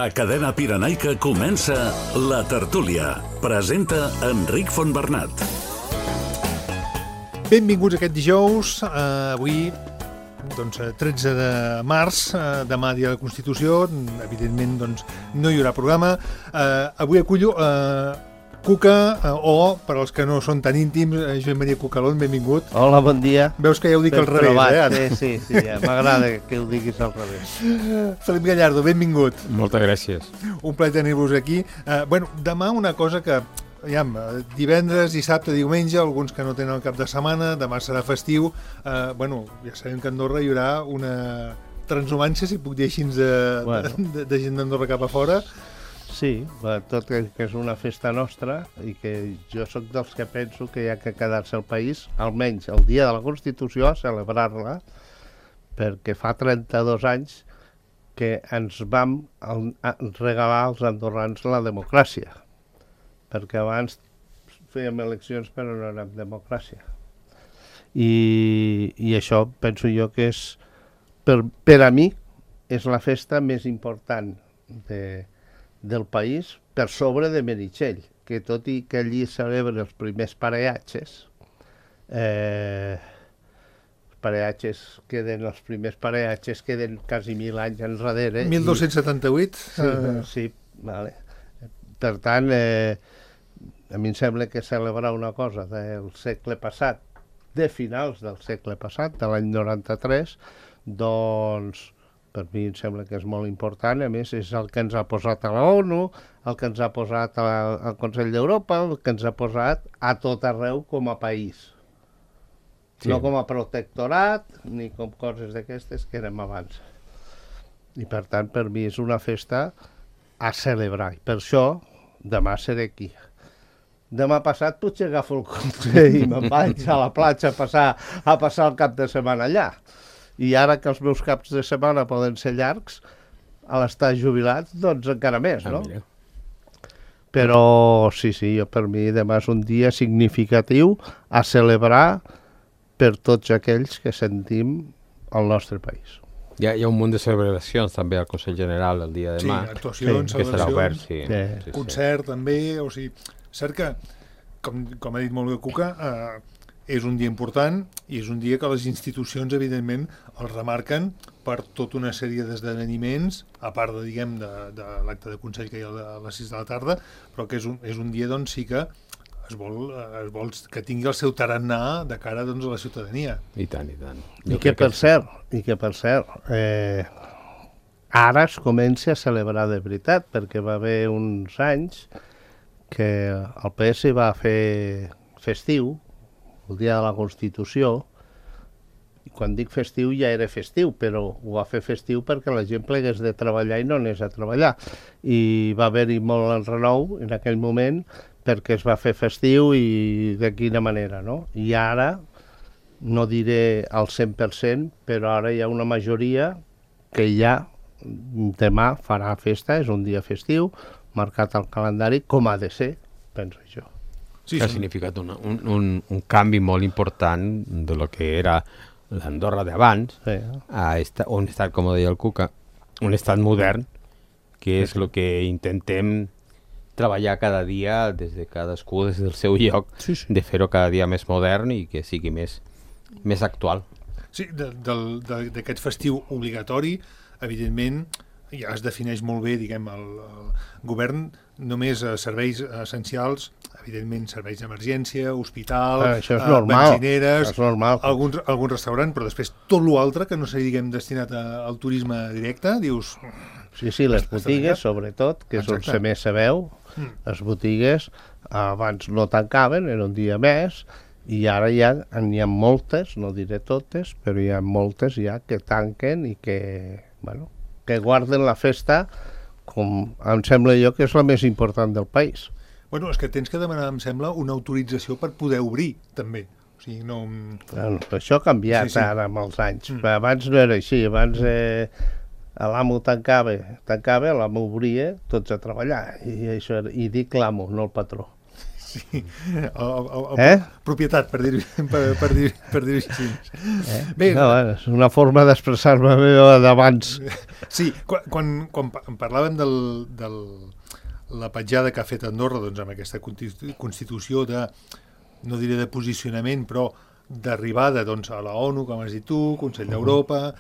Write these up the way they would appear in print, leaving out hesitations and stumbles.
A Cadena Pirenaica comença La Tertúlia. Presenta Enric Fontbernat. Benvinguts aquest dijous, avui, 13 de març, demà dia de la Constitució, evidentment no hi haurà programa. Avui acullo Cuca, o, per als que no són tan íntims, Joan Maria Cucalón, benvingut. Hola, bon dia. Veus que ja ho dic al revés, Ara? Sí, ja m'agrada que ho diguis al revés. Felip Gallardo, benvingut. Moltes gràcies. Un plaer tenir-vos aquí. Demà una cosa que, divendres, dissabte, diumenge, alguns que no tenen el cap de setmana, demà serà festiu, ja sabem que a Andorra hi haurà una transhumància, si puc dir així, de gent d'Andorra cap a fora. Sí, tot que és una festa nostra i que jo sóc dels que penso que hi ha que quedar-se al país, almenys el dia de la Constitució, a celebrar-la, perquè fa 32 anys que ens vam regalar als andorrans la democràcia, perquè abans fèiem eleccions però no érem democràcia. I això penso jo que és, per a mi, és la festa més important del país, per sobre de Meritxell, que tot i que allí celebren els primers pareatges, els primers pareatges queden quasi 1.000 anys enrere. 1278? Sí, vale. Per tant, a mi em sembla que celebrar una cosa del segle passat, de finals del segle passat, de l'any 93, doncs per mi em sembla que és molt important. A més, és el que ens ha posat a la ONU, el que ens ha posat al Consell d'Europa, el que ens ha posat a tot arreu com a país. Sí. No com a protectorat, ni com coses d'aquestes que érem abans. I per tant, per mi és una festa a celebrar. I per això, demà seré aquí. Demà passat potser agafo el cotxe i me'n vaig a la platja a passar el cap de setmana allà. I ara que els meus caps de setmana poden ser llargs, a l'estar jubilats, doncs encara més, no? Però sí, jo per mi demà és un dia significatiu a celebrar per tots aquells que sentim el nostre país. Hi ha un munt de celebracions també al Consell General el dia de demà. Sí, actuacions, que serà obert, celebracions, concert també, o sigui, cert que, com ha dit molt bé Cuca, és un dia important i és un dia que les institucions, evidentment, el remarquen per tota una sèrie d'esdeveniments, a part de l'acte de Consell que hi ha a les 6 de la tarda, però que és un dia, doncs, sí que es vol que tingui el seu tarannà de cara, doncs, a la ciutadania. I tant. I que, per cert, ara es comença a celebrar de veritat, perquè va haver uns anys que el PS va fer festiu, el dia de la Constitució, i quan dic festiu ja era festiu, però ho va fer festiu perquè la gent plegués de treballar i no anés a treballar. I va haver-hi molt enrenou en aquell moment perquè es va fer festiu i de quina manera, no? I ara, no diré al 100%, però ara hi ha una majoria que ja demà farà festa, és un dia festiu, marcat al calendari, com ha de ser, penso jo. Sí, ha significat un canvi molt important de lo que era l'Andorra d'abans, a un estat, com deia el Cuca, un estat modern, que és el que intentem treballar cada dia des de cadascú des del seu lloc, de fer-ho cada dia més modern i que sigui més actual. Sí, d'aquest festiu obligatori, evidentment, ja es defineix molt bé, diguem, el govern, només serveis essencials, evidentment serveis d'emergència, hospital, benzineres, algun restaurant, però després tot l'altre que no sigui, diguem, destinat al turisme directe, dius... Sí, les botigues, sobretot, que és on se més se veu, les botigues abans no tancaven, era un dia més, i ara ja n'hi ha moltes, no diré totes, però hi ha moltes ja que tanquen i que, que guarden la festa com em sembla jo que és la més important del país. Bueno, és que tens que demanar, em sembla, una autorització per poder obrir, també. O sigui, no... Això ha canviat ara amb els anys. Abans no era així, abans l'amo tancava, l'amo obria, tots a treballar. I dic l'amo, no el patró. Sí, propietat, per dir-ho així. Bé, no, és una forma d'expressar-me meva d'abans. Sí, quan parlàvem de la petjada que ha fet Andorra doncs, amb aquesta constitució de, no diré de posicionament, però d'arribada doncs, a la ONU, com has dit tu, Consell d'Europa,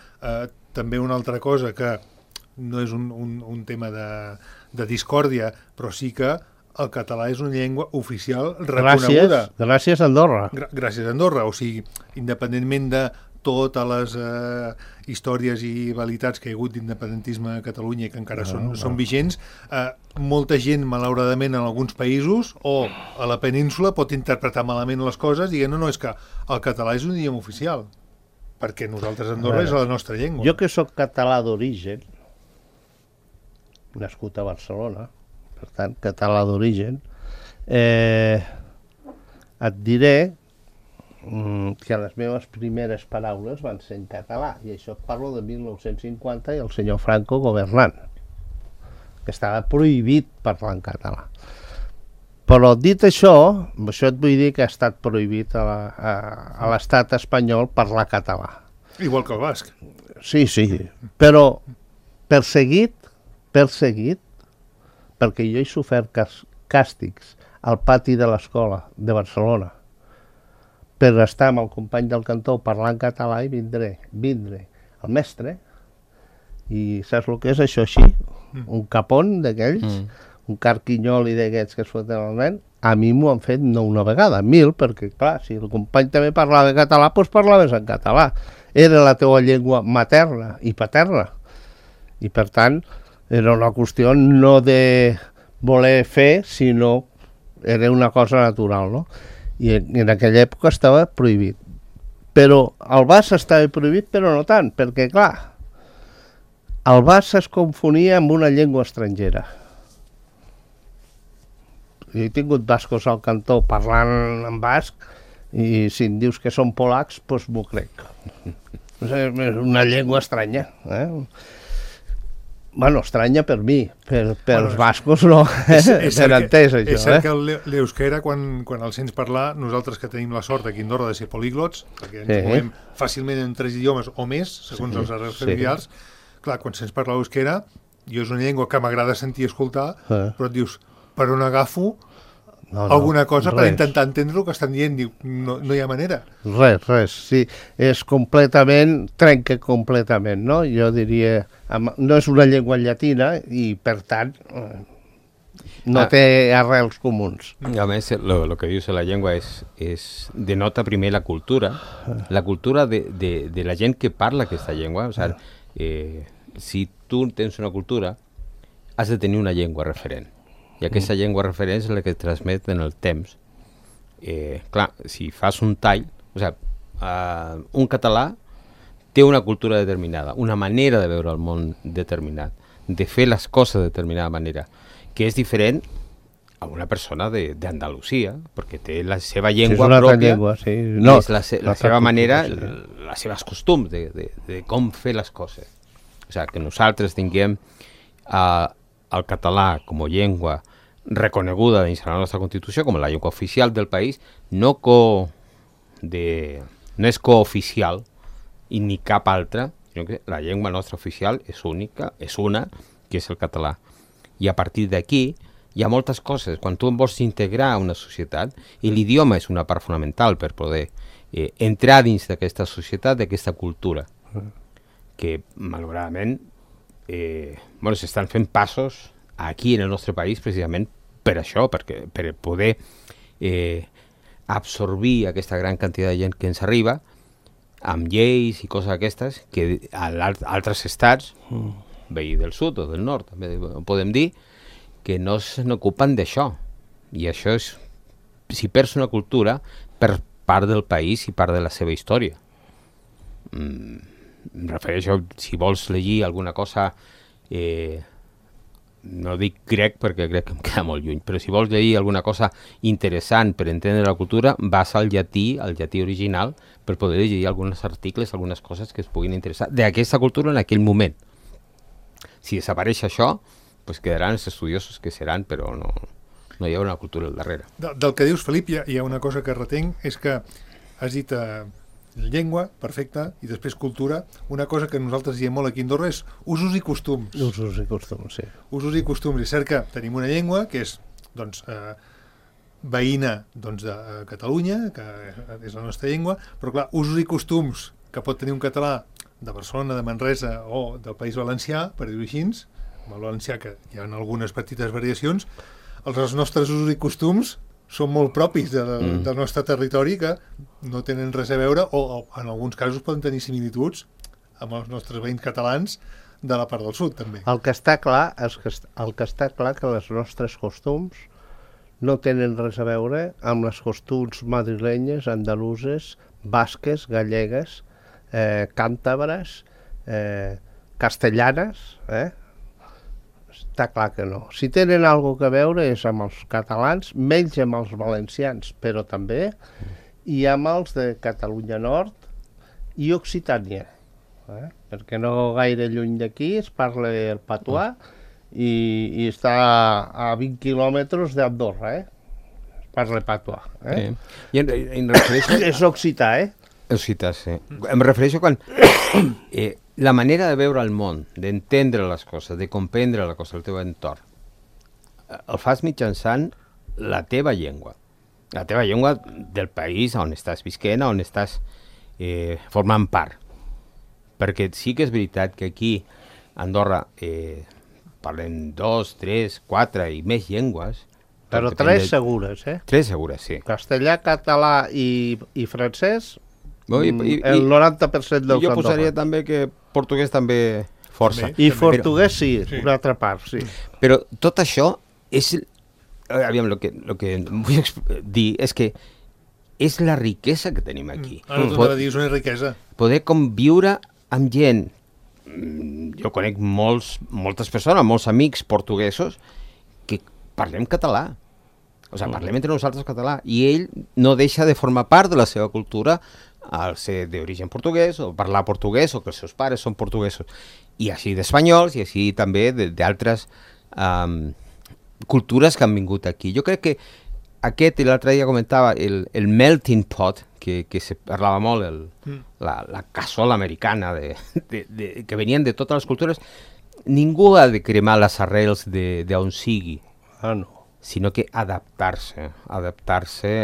també una altra cosa que no és un tema de discòrdia, però sí que el català és una llengua oficial reconeguda. Gràcies a Andorra. Gràcies a Andorra, o sigui, independentment de totes les històries i valitats que hi ha hagut d'independentisme a Catalunya i que encara són vigents, molta gent, malauradament, en alguns països o a la península pot interpretar malament les coses dient no, és que el català és un idioma oficial, perquè nosaltres a Andorra és la nostra llengua. Jo que sóc català d'origen, nascut a Barcelona, per tant, català d'origen, et diré que les meves primeres paraules van ser en català, i això parlo de 1950 i el senyor Franco governant, que estava prohibit parlar en català. Però dit això et vull dir que ha estat prohibit a l'estat espanyol parlar català. Igual que el basc. Sí, però perseguit, perquè jo he sofert càstigs al pati de l'escola de Barcelona per estar amb el company del cantó parlant català i vindre el mestre i saps el que és això així? Un capon d'aquells, un carquinyoli d'aquests que es foten al nen, a mi m'ho han fet no una vegada, 1000, perquè clar, si el company també parlava català, doncs parlaves en català. Era la teua llengua materna i paterna. I per tant, era una qüestió no de voler fer, sinó era una cosa natural, no? I en aquella època estava prohibit. Però el basc estava prohibit, però no tant, perquè, clar, el basc es confonia amb una llengua estrangera. Jo he tingut bascos al cantó parlant en basc i si em dius que són polacs, doncs m'ho crec. És una llengua estranya, Bueno, estranya per mi, per els bascos no, ben entès això. És cert que l'euskera, quan el sents parlar, nosaltres que tenim la sort aquí a Andorra de ser políglots, perquè ens movem fàcilment en 3 idiomes o més, segons els arrels familiars, clar, quan sents parlar l'euskera, jo és una llengua que m'agrada sentir i escoltar, però et dius, per on agafo alguna cosa per intentar entendre el que estan dient, diu, no hi ha manera. Res, sí, és completament, trenca completament, no? Jo diria, no és una llengua llatina i, per tant, no té arrels comuns. A més, lo que dius de la llengua denota primer la cultura de la gent que parla aquesta llengua. O sigui, si tu tens una cultura, has de tenir una llengua referent. I aquesta llengua referent és la que transmet en el temps. Clar, si fas un tall, o sigui, un català té una cultura determinada, una manera de veure el món determinat, de fer les coses de determinada manera, que és diferent a una persona d'Andalusia, perquè té la seva llengua pròpia, és la seva manera, les seves costums de com fer les coses. O sigui, que nosaltres tinguem el català com a llengua reconeguda dins la nostra Constitució com la llengua oficial del país, no és cooficial i ni cap altra, sinó que la llengua nostra oficial és única, és una, que és el català. I a partir d'aquí hi ha moltes coses. Quan tu vols integrar una societat, i l'idioma és una part fonamental per poder entrar dins d'aquesta societat, d'aquesta cultura, que malauradament s'estan fent passos aquí en el nostre país precisament per això, per poder absorbir aquesta gran quantitat de gent que ens arriba amb lleis i coses aquestes que a altres estats, veí del sud o del nord, també podem dir, que no se n'ocupen d'això. I això és, si perds una cultura, per part del país i part de la seva història. Em refereixo, si vols llegir alguna cosa, no dic grec perquè crec que em queda molt lluny, però si vols llegir alguna cosa interessant per entendre la cultura, vas al llatí original, per poder llegir alguns articles, algunes coses que es puguin interessar d'aquesta cultura en aquell moment. Si desapareix això, pues quedaran els estudiosos que seran, però no no hi ha una cultura al darrere. Del que dius, Felip, hi ha una cosa que retenc, és que has dit llengua, perfecte, i després cultura. Una cosa que nosaltres diem molt aquí a Andorra és usos i costums. Usos i costums, sí. Usos i costums. És cert que tenim una llengua que és, doncs, veïna doncs, de Catalunya, que és la nostra llengua, però clar, usos i costums que pot tenir un català de Barcelona, de Manresa o del País Valencià, per dir-ho així, amb el valencià, que hi ha algunes petites variacions, els nostres usos i costums són molt propis del nostre territori, que no tenen res a veure, o en alguns casos poden tenir similituds amb els nostres veïns catalans de la part del sud, també. El que està clar és que els nostres costums no tenen res a veure amb les costums madrilenyes, andaluses, basques, gallegues, càntabres, castellanes, Està clar que no. Si tenen alguna cosa a veure és amb els catalans, menys amb els valencians, però també, i amb els de Catalunya Nord i Occitània. Perquè no gaire lluny d'aquí es parla el patuà i està a 20 quilòmetres d'Andorra, Es parla el patuà. I em refereixo... És occità, Occità, sí. Em refereixo quan... la manera de veure el món, d'entendre les coses, de comprendre la cosa, el teu entorn, el fas mitjançant la teva llengua del país on estàs visquent, on estàs formant part. Perquè sí que és veritat que aquí a Andorra parlem 2, 3, 4 i més llengües. Però 3 segures, 3 segures, sí. Castellà, català i francès, el 90% dels jo posaria també que portuguès també força. I portuguès sí, una altra part, sí. Però tot això és... Aviam, el que vull dir és que és la riquesa que tenim aquí. Ara t'ho anava a dir, és una riquesa. Poder conviure amb gent... Jo conec moltes persones, molts amics portuguesos que parlem català. O sigui, parlem entre nosaltres català. I ell no deixa de formar part de la seva cultura al ser d'origen portuguès, o parlar portuguès, o que els seus pares són portuguesos. I així d'espanyols, i així també d'altres cultures que han vingut aquí. Jo crec que aquest, l'altre dia comentava, el melting pot, que se parlava molt, la cassola americana, que venien de totes les cultures, ningú ha de cremar les arrels d'on sigui. No. Sinó que adaptar-se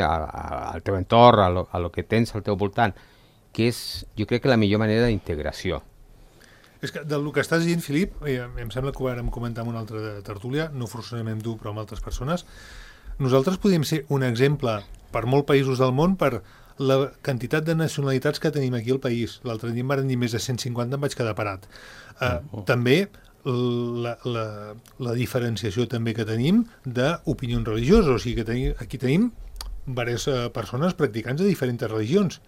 al teu entorn, a lo que tens al teu voltant, que és, jo crec que la millor manera d'integració. És que del que estàs dient, Filip, em sembla que ho vam comentar en una altra tertúlia, no forçosament amb tu, però amb altres persones, nosaltres podríem ser un exemple per molts països del món per la quantitat de nacionalitats que tenim aquí al país. L'altre dia em van dir més de 150, em vaig quedar parat. També la diferenciació també que tenim d'opinions religioses, o sigui que aquí tenim diverses persones practicants de diferents religions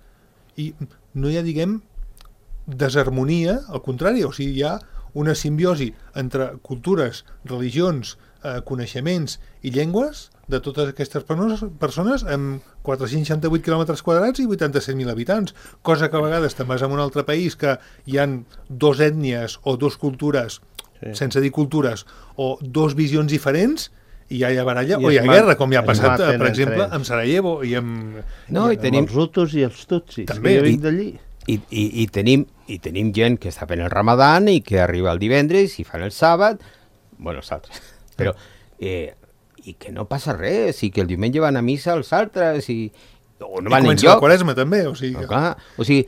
i no hi ha, diguem, desharmonia, al contrari, o sigui, hi ha una simbiosi entre cultures, religions, coneixements i llengües de totes aquestes persones amb 468 quilòmetres quadrats i 87.000 habitants, cosa que a vegades te'n vas a un altre país que hi han 2 ètnies o 2 cultures, sense dir cultures, o 2 visions diferents, i ja hi ha baralla, o hi ha guerra, com ja ha passat, per exemple, amb Sarajevo i amb... I tenim els hutus i els tutsis, també, que jo vinc d'allí. I tenim gent que està fent el Ramadan i que arriba el divendres i fan el sàbat, bueno, els altres, però i que no passa res, i que el diumenge van a missa els altres, o no van enlloc. I comença la Quaresma també, o sigui... O sigui,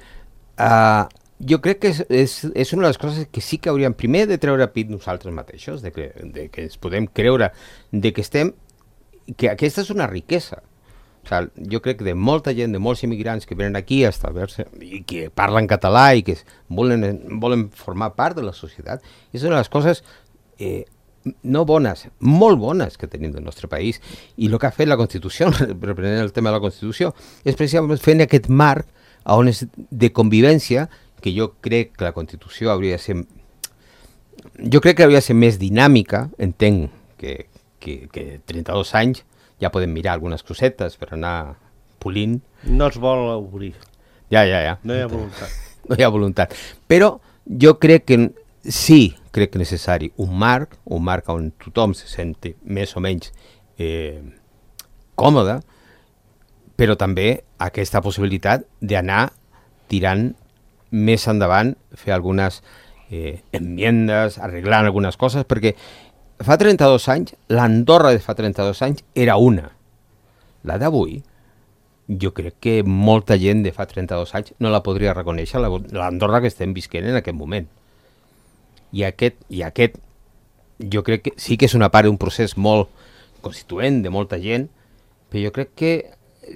jo crec que és una de les coses que sí que hauríem primer de treure pit nosaltres mateixos, de que ens podem creure de que estem, que aquesta és una riquesa. O sigui, jo crec que de molta gent, de molts immigrants que venen aquí a establir-se i que parlen català i que volen formar part de la societat, és una de les coses no bones, molt bones que tenim del nostre país. I el que ha fet la Constitució, reprenent el tema de la Constitució, és precisament fent aquest marc on és de convivència, que jo crec que la Constitució hauria de ser... Jo crec que hauria de ser més dinàmica, entenc que 32 anys ja podem mirar algunes cosetes per anar polint. No es vol obrir. Ja. No hi ha voluntat. No hi ha voluntat. Però jo crec que sí, crec que és necessari un marc on tothom se senti més o menys còmoda, però també aquesta possibilitat d'anar tirant més endavant, fer algunes enmiendes, arreglant algunes coses, perquè fa 32 anys, l'Andorra de fa 32 anys era una. La d'avui, jo crec que molta gent de fa 32 anys no la podria reconèixer, l'Andorra que estem visquent en aquest moment. I aquest, jo crec que sí que és una part d'un procés molt constituent de molta gent, però jo crec que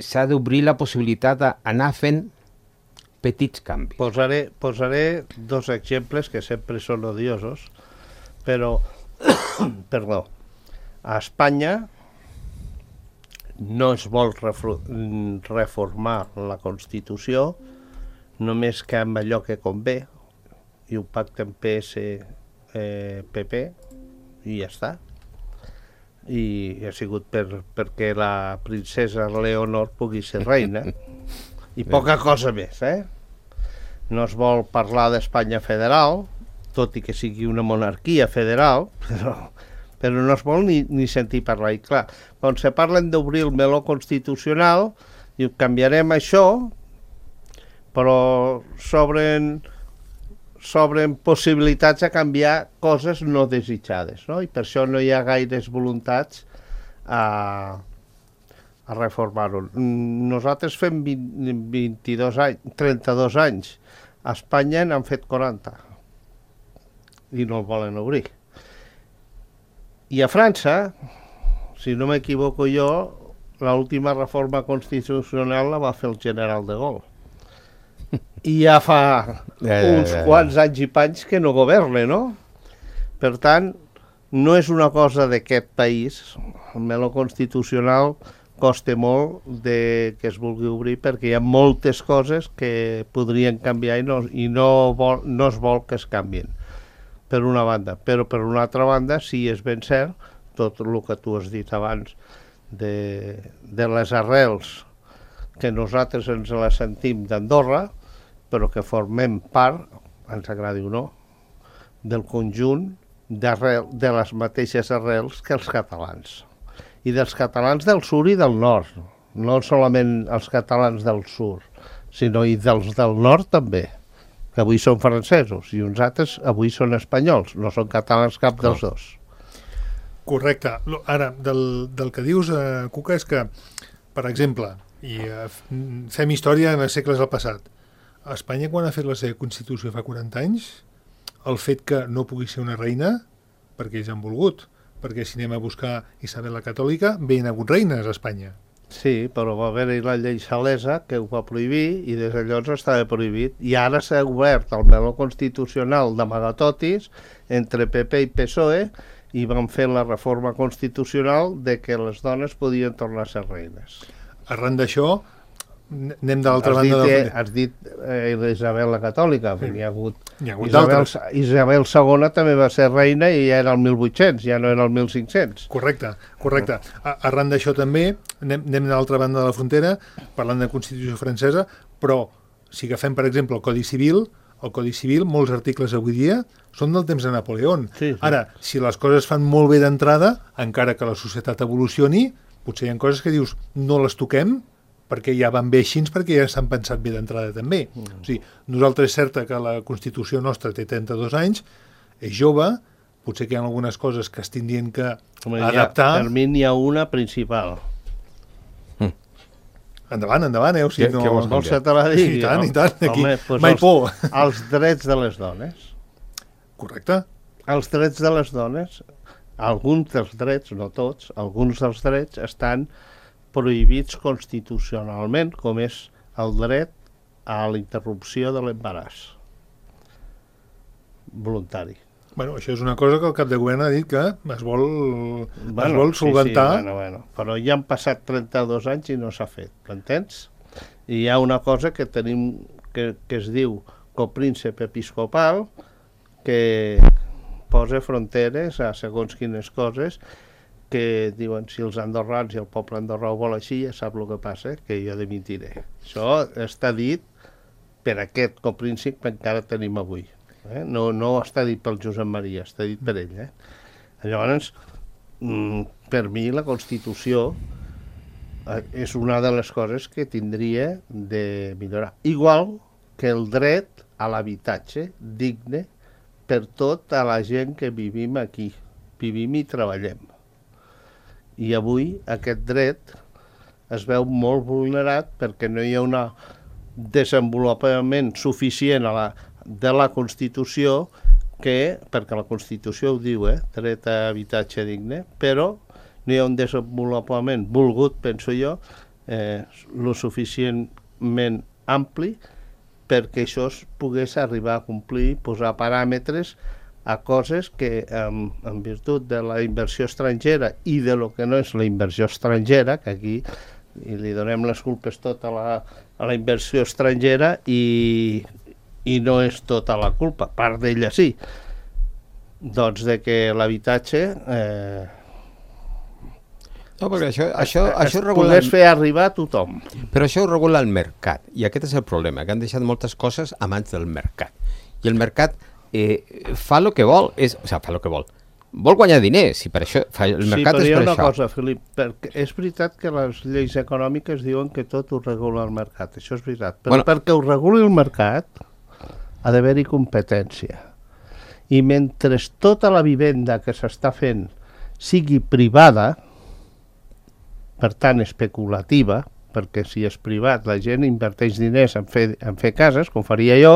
s'ha d'obrir la possibilitat d'anar fent petits canvis. Posaré dos exemples que sempre són odiosos, però, perdó, a Espanya no es vol reformar la Constitució només que amb allò que convé, i ho pacten PS, PP, i ja està. I ha sigut perquè la princesa Leonor pugui ser reina, i poca cosa més, No es vol parlar d'Espanya federal, tot i que sigui una monarquia federal, però no es vol ni sentir parlar. I clar, quan se parlen d'obrir el meló constitucional, diu, canviarem això, però s'obren possibilitats a canviar coses no desitjades, no? I per això no hi ha gaires voluntats a reformar-ho. Nosaltres fem 32 anys, 32 anys. A Espanya n'han fet 40 i no el volen obrir. I a França, si no m'equivoco jo, l'última reforma constitucional la va fer el general de Gaulle. I ja fa uns quants anys i panys que no governa, no? Per tant, no és una cosa d'aquest país. El meló constitucional costa molt que es vulgui obrir perquè hi ha moltes coses que podrien canviar i no es vol que es canvien, per una banda. Però per una altra banda, sí és ben cert, tot el que tu has dit abans, de les arrels que nosaltres ens les sentim d'Andorra, però que formem part, ens agradi o no, del conjunt de les mateixes arrels que els catalans. I dels catalans del sud i del nord, no solament els catalans del sud, sinó i dels del nord també, que avui són francesos, i uns altres avui són espanyols, no són catalans cap dels dos. Correcte. Ara, del que dius, Cuca, és que, per exemple, i fem història en els segles del passat, a Espanya, quan ha fet la seva Constitució fa 40 anys, el fet que no pugui ser una reina, perquè ells han volgut, perquè si anem a buscar Isabel la Catòlica, ben hagut reines a Espanya. Sí, però va haver-hi la llei Salesa que ho va prohibir i des de llavors estava prohibit. I ara s'ha obert el meló constitucional d'amagatotis entre PP i PSOE i van fer la reforma constitucional de que les dones podien tornar a ser reines. Arran d'això, anem de l'altra banda has dit Isabel la Catòlica, n'hi ha hagut Isabel II també va ser reina i ja era el 1800, ja no era el 1500. Correcte. Arran d'això també anem de l'altra banda de la frontera parlant de Constitució francesa, però si agafem per exemple el Codi Civil, molts articles avui dia són del temps de Napoleó. Sí. Ara, si les coses fan molt bé d'entrada, encara que la societat evolucioni, potser hi ha coses que dius no les toquem perquè ja van bé així, perquè ja s'han pensat bé d'entrada també. O sigui, nosaltres és certa que la Constitució nostra té 32 anys, és jove, potser que hi ha algunes coses que es tindrien que adaptar. Per mi n'hi ha una principal. Endavant, O sigui, què vols vols que te la digui? I tant, aquí, Home, mai por. Els drets de les dones. Correcte. Els drets de les dones, alguns dels drets, no tots, alguns dels drets estan prohibits constitucionalment, com és el dret a la interrupció de l'embaràs voluntari. Bueno, això és una cosa que el cap de govern ha dit que es vol solventar. Sí, però ja han passat 32 anys i no s'ha fet, m'entens? I hi ha una cosa que tenim que es diu copríncep episcopal, que posa fronteres a segons quines coses, que diuen si els andorrans i el poble andorrà ho vol així, ja sap el que passa, que jo dimitiré. Això està dit per aquest copríncep que encara tenim avui. No està dit pel Josep Maria, està dit per ell. Llavors, per mi la Constitució és una de les coses que tindria de millorar. Igual que el dret a l'habitatge digne per tota la gent que vivim aquí, vivim i treballem. I avui aquest dret es veu molt vulnerat perquè no hi ha un desenvolupament suficient de la Constitució perquè la Constitució ho diu, dret a habitatge digne, però no hi ha un desenvolupament volgut, penso jo, lo suficientment ampli perquè això es pogués arribar a complir, posar paràmetres a coses que, en virtut de la inversió estrangera i de lo que no és la inversió estrangera, que aquí li donem les culpes tot a la inversió estrangera i no és tota la culpa, part d'ella sí, doncs de que l'habitatge no, perquè això regula... pogués fer arribar a tothom. Però això ho regula el mercat, i aquest és el problema, que han deixat moltes coses a mans del mercat. I el mercat fa el que vol, fa el que vol. Vol guanyar diners, i per això el mercat és per això. Sí, però hi ha una cosa, Felip, perquè és veritat que les lleis econòmiques diuen que tot ho regula el mercat, això és veritat, però perquè ho reguli el mercat ha d'haver-hi competència. I mentre tota la vivenda que s'està fent sigui privada, per tant especulativa, perquè si és privat la gent inverteix diners en fer cases, com faria jo,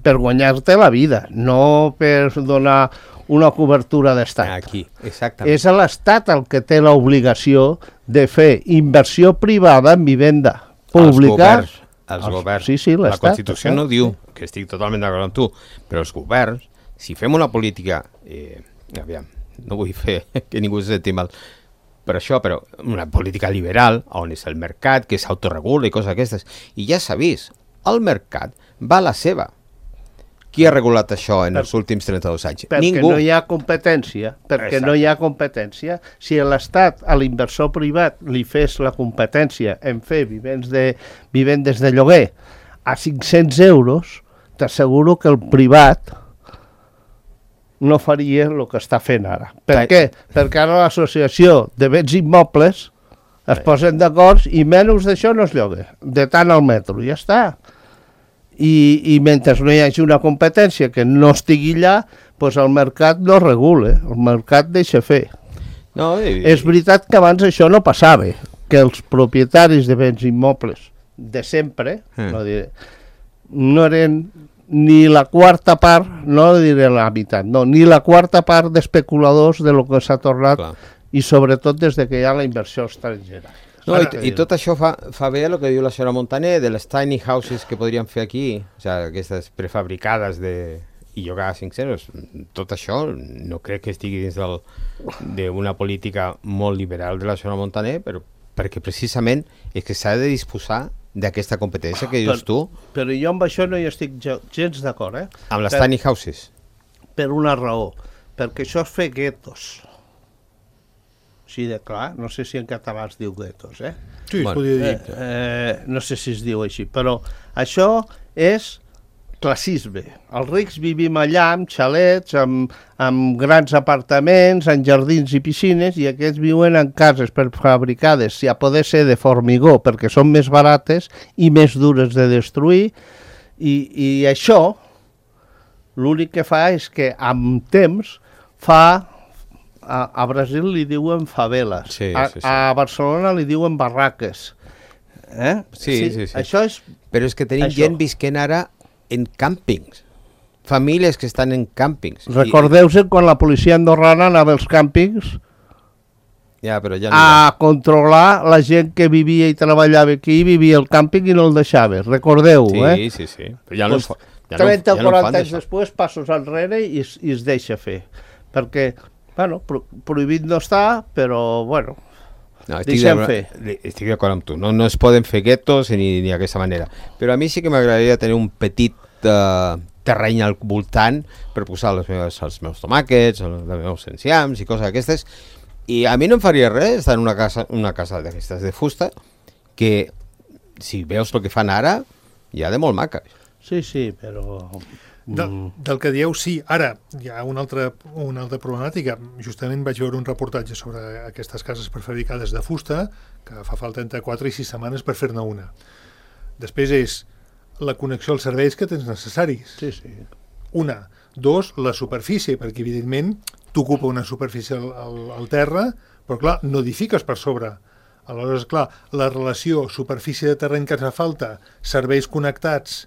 per guanyar-te la vida, no per donar una cobertura d'estat. Aquí, exactament. És l'Estat el que té l'obligació de fer inversió privada en vivenda pública. Els governs. Sí, la Constitució no diu, que estic totalment d'acord amb tu, però els governs, si fem una política, aviam, no vull fer que ningú se senti mal, però una política liberal, on és el mercat, que s'autoregula i coses aquestes, i ja s'ha vist, el mercat va a la seva. Qui ha regulat això en els últims 32 anys? Perquè Ningú. No hi ha competència, no hi ha competència. Si l'Estat a l'inversor privat li fes la competència en fer vivendes de lloguer a 500 euros, t'asseguro que el privat no faria el que està fent ara. Per què? Perquè ara l'associació de béns immobles es posen d'acord i menys d'això no es lloga, de tant al metro, ja està. I mentre no hi hagi una competència que no estigui allà, doncs el mercat no regula, el mercat deixa fer. És veritat que abans això no passava, que els propietaris de béns immobles de sempre no eren ni la quarta part, no diré la meitat, no, ni la quarta part d'especuladors de lo que s'ha tornat, i sobretot des de que hi ha la inversió estrangera. No, i tot això fa bé el que diu la senyora Montaner de les tiny houses que podríem fer aquí, o sigui, aquestes prefabricades i llogar a 5 euros. Tot això no crec que estigui dins d'una política molt liberal de la senyora Montaner, però perquè precisament és que s'ha de disposar d'aquesta competència que dius tu. Però jo amb això no hi estic gens d'acord, Amb les tiny houses? Per una raó, perquè això és fer guetos. Sí, de clar, no sé si en català es diu guetos, Sí, es podria dir. No sé si es diu així, però això és classisme. Els rics vivim allà amb xalets, amb grans apartaments, en jardins i piscines, i aquests viuen en cases prefabricades, si a poder ser de formigó, perquè són més barates i més dures de destruir, i això l'únic que fa és que amb temps a Brasil li diuen faveles, a Barcelona li diuen barraques. Sí. Això és... Però és que tenim gent visquent ara en càmpings, famílies que estan en càmpings. Recordeu-se quan la policia andorrana anava als càmpings a controlar la gent que vivia i treballava aquí, vivia al càmping i no el deixava, recordeu, Sí. Però ja no 30 o 40 anys després, passos enrere i es deixa fer. Perquè, bueno, prohibit no està, però, bueno, deixem fer. Estic d'acord amb tu, no es poden fer guetos ni d'aquesta manera. Però a mi sí que m'agradaria tenir un petit terreny al voltant per posar els meus tomàquets, els meus enciams i coses d'aquestes. I a mi no em faria res estar en una casa d'aquestes de fusta, que si veus el que fan ara, ja de molt maca. Sí, però... Del que dieu, sí. Ara, hi ha una altra problemàtica. Justament vaig veure un reportatge sobre aquestes cases prefabricades de fusta, que fa falta entre 4 i 6 setmanes per fer-ne una. Després és la connexió als serveis que tens necessaris. Sí, sí. Una. Dos, la superfície, perquè evidentment t'ocupa una superfície al terra, però clar, no edifiques per sobre. Aleshores, clar, la relació superfície de terreny que et fa falta, serveis connectats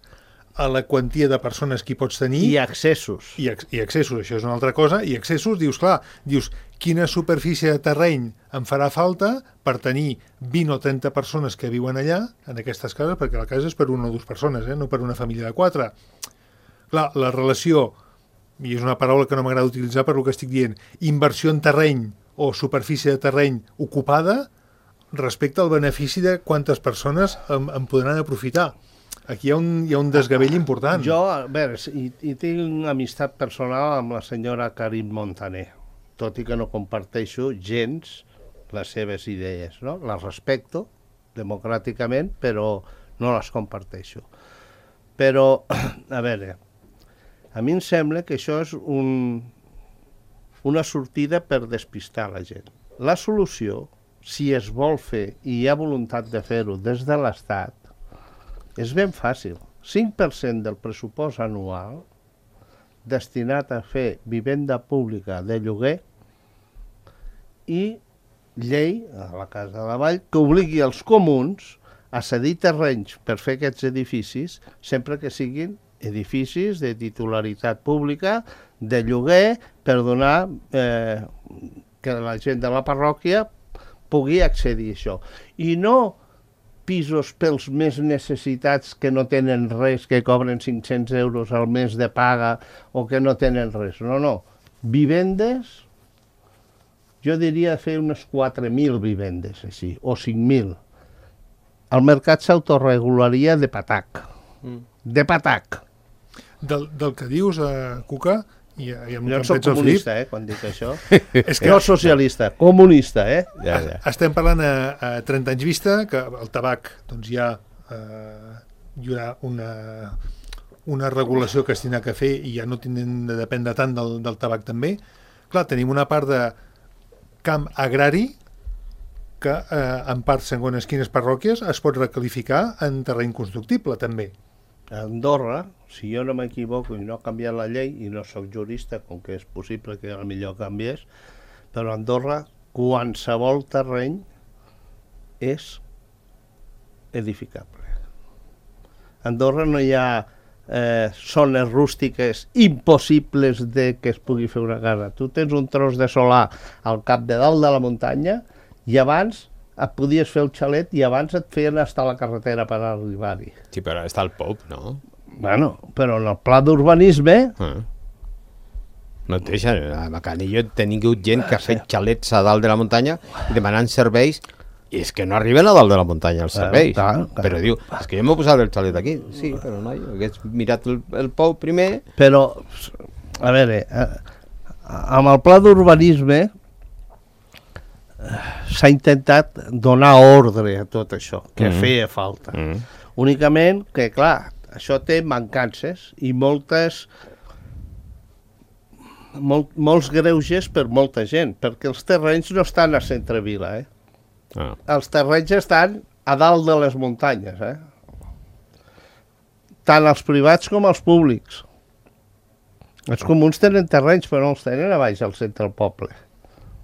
a la quantia de persones que hi pots tenir... I accessos. I accessos, això és una altra cosa. I accessos, dius, quina superfície de terreny em farà falta per tenir 20 o 30 persones que viuen allà, en aquestes cases, perquè la casa és per una o dues persones, no per una família de 4. Clar, la relació, i és una paraula que no m'agrada utilitzar per el que estic dient, inversió en terreny o superfície de terreny ocupada respecte al benefici de quantes persones en podran aprofitar. Aquí hi ha un desgavell important. Jo, a veure, i tinc una amistat personal amb la senyora Karim Montaner, tot i que no comparteixo gens les seves idees, no? Les respecto democràticament, però no les comparteixo. Però, a veure, a mi em sembla que això és una sortida per despistar la gent. La solució, si es vol fer i hi ha voluntat de fer-ho des de l'Estat, és ben fàcil. 5% del pressupost anual destinat a fer vivenda pública de lloguer i llei, a la Casa de la Vall, que obligui els comuns a cedir terrenys per fer aquests edificis, sempre que siguin edificis de titularitat pública, de lloguer, per donar que la gent de la parròquia pugui accedir a això. I no pisos pels més necessitats que no tenen res, que cobren 500 euros al mes de paga o que no tenen res. No, no. Vivendes, jo diria fer unes 4.000 vivendes, així, o 5.000. El mercat s'autoregularia de patac. De patac. Del que dius, Cuca, i jo soc comunista, quan dic això. És que no socialista, comunista, Ja. Estem parlant a 30 anys vista, que el tabac doncs ja hi haurà una regulació que es tindrà que fer i ja no tindrem de dependre tant del tabac també. Clar, tenim una part de camp agrari que en part, segons quines parròquies, es pot recalificar en terreny constructible també. A Andorra, si jo no m'equivoco i no ha canviat la llei, i no sóc jurista, com que és possible que potser canviés, però a Andorra qualsevol terreny és edificable. A Andorra no hi ha zones rústiques impossibles de que es pugui fer una casa. Tu tens un tros de solar al cap de dalt de la muntanya i abans et podies fer el xalet i abans et feien estar a la carretera per arribar-hi. Sí, però està el POUP, no? Bueno, però en el pla d'urbanisme... No et deixen. A Canillo he tingut gent que ha fet xalets a dalt de la muntanya i demanant serveis i és que no arriben a dalt de la muntanya els serveis. Clar. Però diu, és que jo m'he posat el xalet aquí. Sí, però no, jo hagués mirat el POUP primer. Però, a veure, amb el pla d'urbanisme s'ha intentat donar ordre a tot això, que feia falta. Únicament que, clar, això té mancances i molts greuges per molta gent, perquè els terrenys no estan a centre-vila, Els terrenys estan a dalt de les muntanyes, Tant els privats com els públics. Els comuns tenen terrenys, però no els tenen a baix al centre del poble.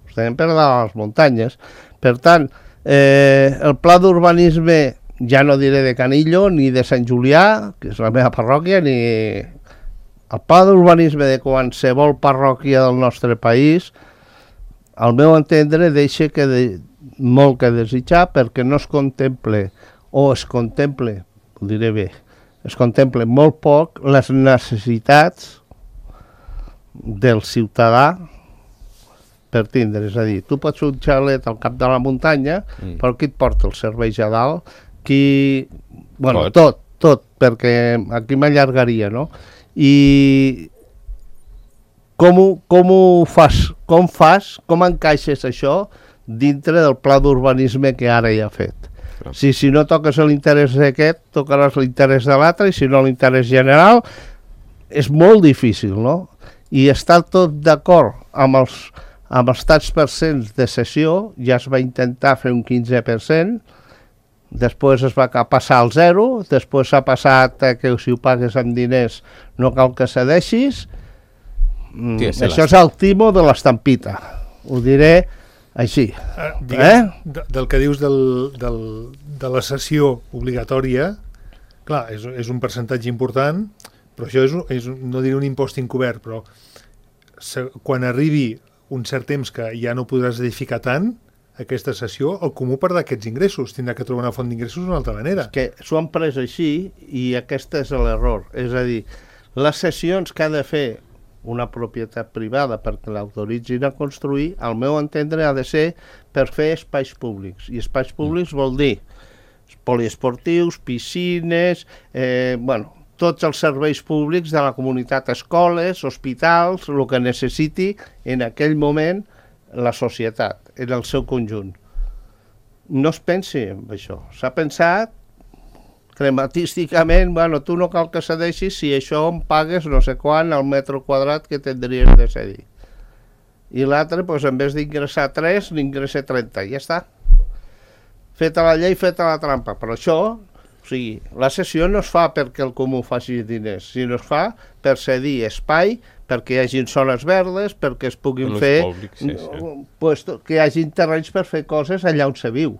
Els tenen per dalt a les muntanyes. Per tant, el pla d'urbanisme, ja no diré de Canillo ni de Sant Julià, que és la meva parròquia, ni el pla d'urbanisme de qualsevol parròquia del nostre país, al meu entendre, deixa molt que desitjar, perquè no es contemple, o es contemple, ho diré bé, es contemple molt poc les necessitats del ciutadà per tindre. És a dir, tu pots fer un xalet al cap de la muntanya, però qui et porta els serveis a dalt? Bueno, tot, perquè aquí m'allargaria, no? I com encaixes això dintre del pla d'urbanisme que ara hi ha fet? Si no toques l'interès d'aquest, tocaràs l'interès de l'altre, i si no l'interès general, és molt difícil, no? I estar tot d'acord amb els tants percents de cessió, ja es va intentar fer un 15%, després es va passar al 0, després s'ha passat que si ho pagues amb diners no cal que cedeixis. Això és el timo de l'estampita, ho diré així. Del que dius de la cessió obligatòria, clar, és un percentatge important, però això és no diré un impost encobert, però quan arribi un cert temps que ja no podràs edificar tant, aquesta cessió, el comú perdrà aquests ingressos, tindrà que trobar una font d'ingressos d'una altra manera. És que s'ho han pres així i aquest és l'error. És a dir, les cessions que ha de fer una propietat privada perquè l'autoritzin a construir, al meu entendre ha de ser per fer espais públics. I espais públics vol dir poliesportius, piscines, tots els serveis públics de la comunitat, escoles, hospitals, el que necessiti en aquell moment la societat, en el seu conjunt. No es pensi en això. S'ha pensat crematísticament, tu no cal que cedeixis si això em pagues no sé quant al metre quadrat que tindries de cedir. I l'altre, en vez d'ingressar 3, n'ingressa 30, i ja està. Feta la llei, feta la trampa. Però això, la cessió no es fa perquè el comú faci diners, sinó es fa per cedir espai, perquè hi hagi zones verdes, perquè es puguin fer... que hi hagi terrenys per fer coses allà on se viu.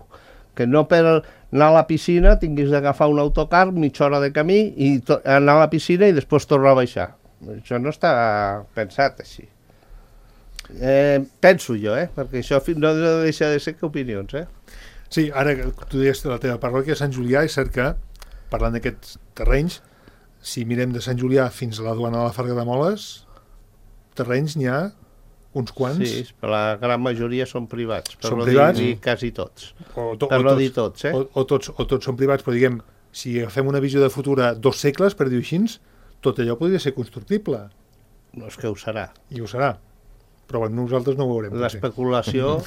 Que no per anar a la piscina tinguis d'agafar un autocar, mitja hora de camí, i anar a la piscina i després tornar a baixar. Això no està pensat així. Penso jo, perquè això no deixa de ser que opinions, Sí, ara que tu deies la teva parròquia, Sant Julià, és cert que, parlant d'aquests terrenys, si mirem de Sant Julià fins a la duana de la Farga de Moles, terrenys n'hi ha uns quants. Sí, però la gran majoria són privats, per són no privats? dir quasi tots. Per no dir tots, O tots són privats, però diguem, si agafem una visió de futur a 2 segles, per dir-ho així, tot allò podria ser constructible. No és que ho serà. I ho serà. Però nosaltres no ho veurem. L'especulació,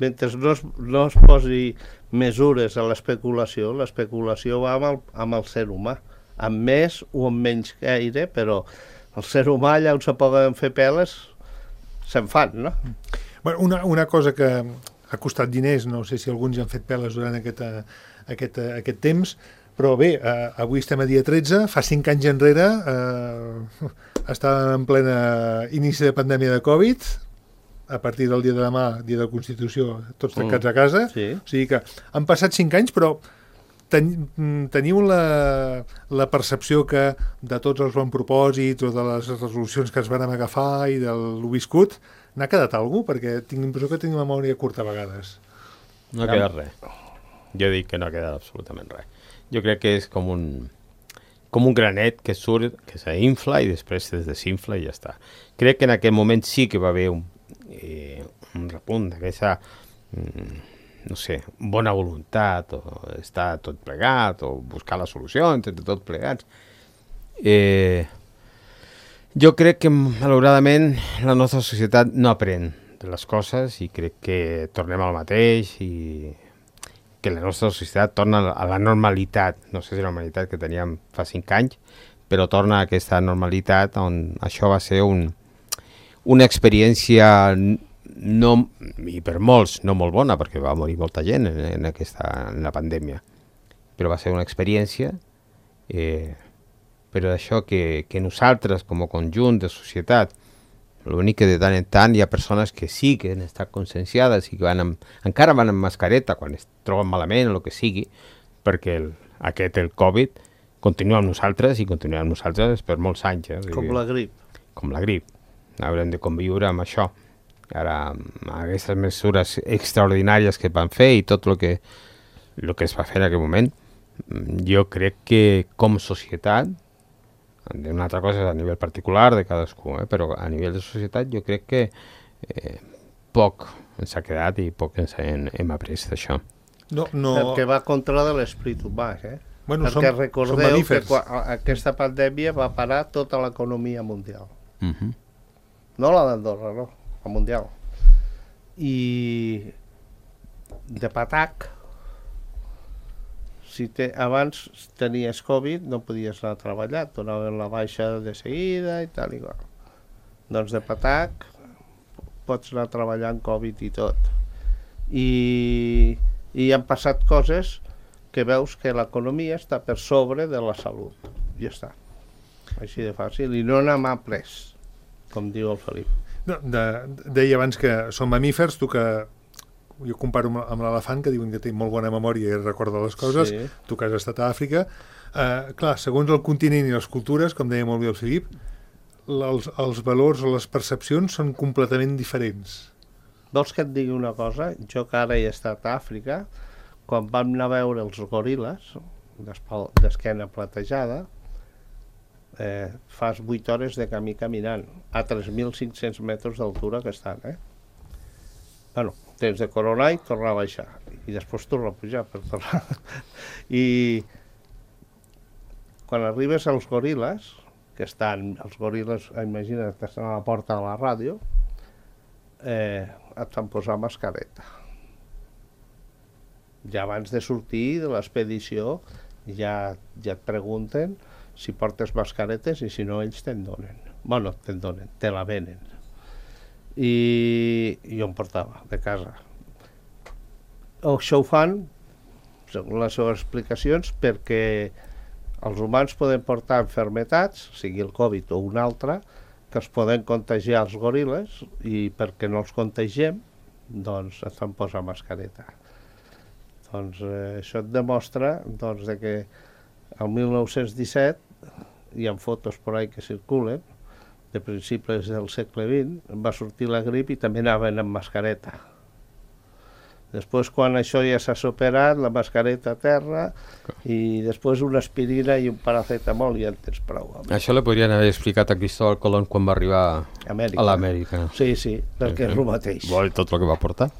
mentre no es posi mesures a l'especulació va amb el ser humà, amb més o amb menys gaire, però el ser humà allà on se poden fer peles se'n fan, no? Bueno, una cosa que ha costat diners, no sé si alguns ja han fet peles durant aquest temps, però bé, avui estem a dia 13, fa 5 anys enrere estàvem en plena inici de pandèmia de Covid, a partir del dia de demà, dia de Constitució, tots tancats a casa. Sí. O sigui que han passat 5 anys, però teniu la percepció que de tots els bons propòsits o de les resolucions que ens vam agafar i del viscut, n'ha quedat alguna cosa? Perquè tinc l'impressió que tenim memòria curta a vegades. No ha quedat res. Jo dic que no ha quedat absolutament res. Jo crec que és com un granet que surt, que s'infla i després es desinfla i ja està. Crec que en aquell moment sí que va haver un repunt d'aquesta, no sé, bona voluntat, o estar tot plegat, o buscar la solució entre tots plegats. Jo crec que, malauradament, la nostra societat no aprèn de les coses i crec que tornem al mateix i que la nostra societat torna a la normalitat, no sé si la normalitat que teníem fa 5 anys, però torna a aquesta normalitat on això va ser una experiència i per molts no molt bona, perquè va morir molta gent en la pandèmia, però va ser una experiència, però això que nosaltres com a conjunt de societat, l'únic que de tant en tant hi ha persones que sí que han estat conscienciades i que encara van amb mascareta quan es troben malament o el que sigui, perquè el Covid continua amb nosaltres i continuarà amb nosaltres per molts anys. Com la grip. Com la grip. Haurem de conviure amb això. Ara, amb aquestes mesures extraordinàries que van fer i tot el que es va fer en aquell moment, jo crec que com societat, una altra cosa és a nivell particular de cadascú, però a nivell de societat jo crec que poc ens ha quedat i poc ens hem après d'això. No. Perquè va contra de l'esperit humà, Bueno, perquè recordeu que aquesta pandèmia va parar tota l'economia mundial. No la d'Andorra, no, la mundial. I de patac abans tenies Covid, no podies anar a treballar, et donaven la baixa de seguida i tal i qual. Doncs de patac pots anar a treballar amb Covid i tot. I han passat coses que veus que l'economia està per sobre de la salut. Ja està. Així de fàcil. I no n'ha mà pres, com diu el Felip. No, deia abans que són mamífers, tu que jo comparo amb l'elefant, que diuen que té molt bona memòria i recorda les coses, sí. Tu que has estat a Àfrica. Clar, segons el continent i les cultures, com deia molt bé el Felip, els valors o les percepcions són completament diferents. Vols que et digui una cosa? Jo que ara he estat a Àfrica, quan vam anar a veure els goril·les d'esquena platejada, fas 8 hores de camí caminant a 3.500 metres d'altura que estan, Bueno, tens de coronar i tornar a baixar i després tornar a pujar per tornar. I quan arribes als goril·les, que estan, els goril·les, imagina't que estan a la porta de la ràdio, et fan posar mascareta. Ja abans de sortir de l'expedició ja et pregunten si portes mascaretes i si no ells te'n donen. Bueno, te'n donen, te la venen. I jo em portava de casa. Això ho fan, segons les seves explicacions, perquè els humans poden portar malalties, sigui el Covid o una altra, que es poden contagiar els goril·les i perquè no els contagiem, doncs et fan posar mascareta. Doncs això et demostra doncs, que el 1917 hi ha fotos per ahí que circulen de principis del segle XX, va sortir la grip i també anaven amb mascareta. Després, quan això ja s'ha superat, la mascareta a terra i després una aspirina i un paracetamol i ja en tens prou. Això li podrien haver explicat a Cristóbal Colón quan va arribar a l'Amèrica. Sí, perquè és el mateix. Vol tot el que va portar.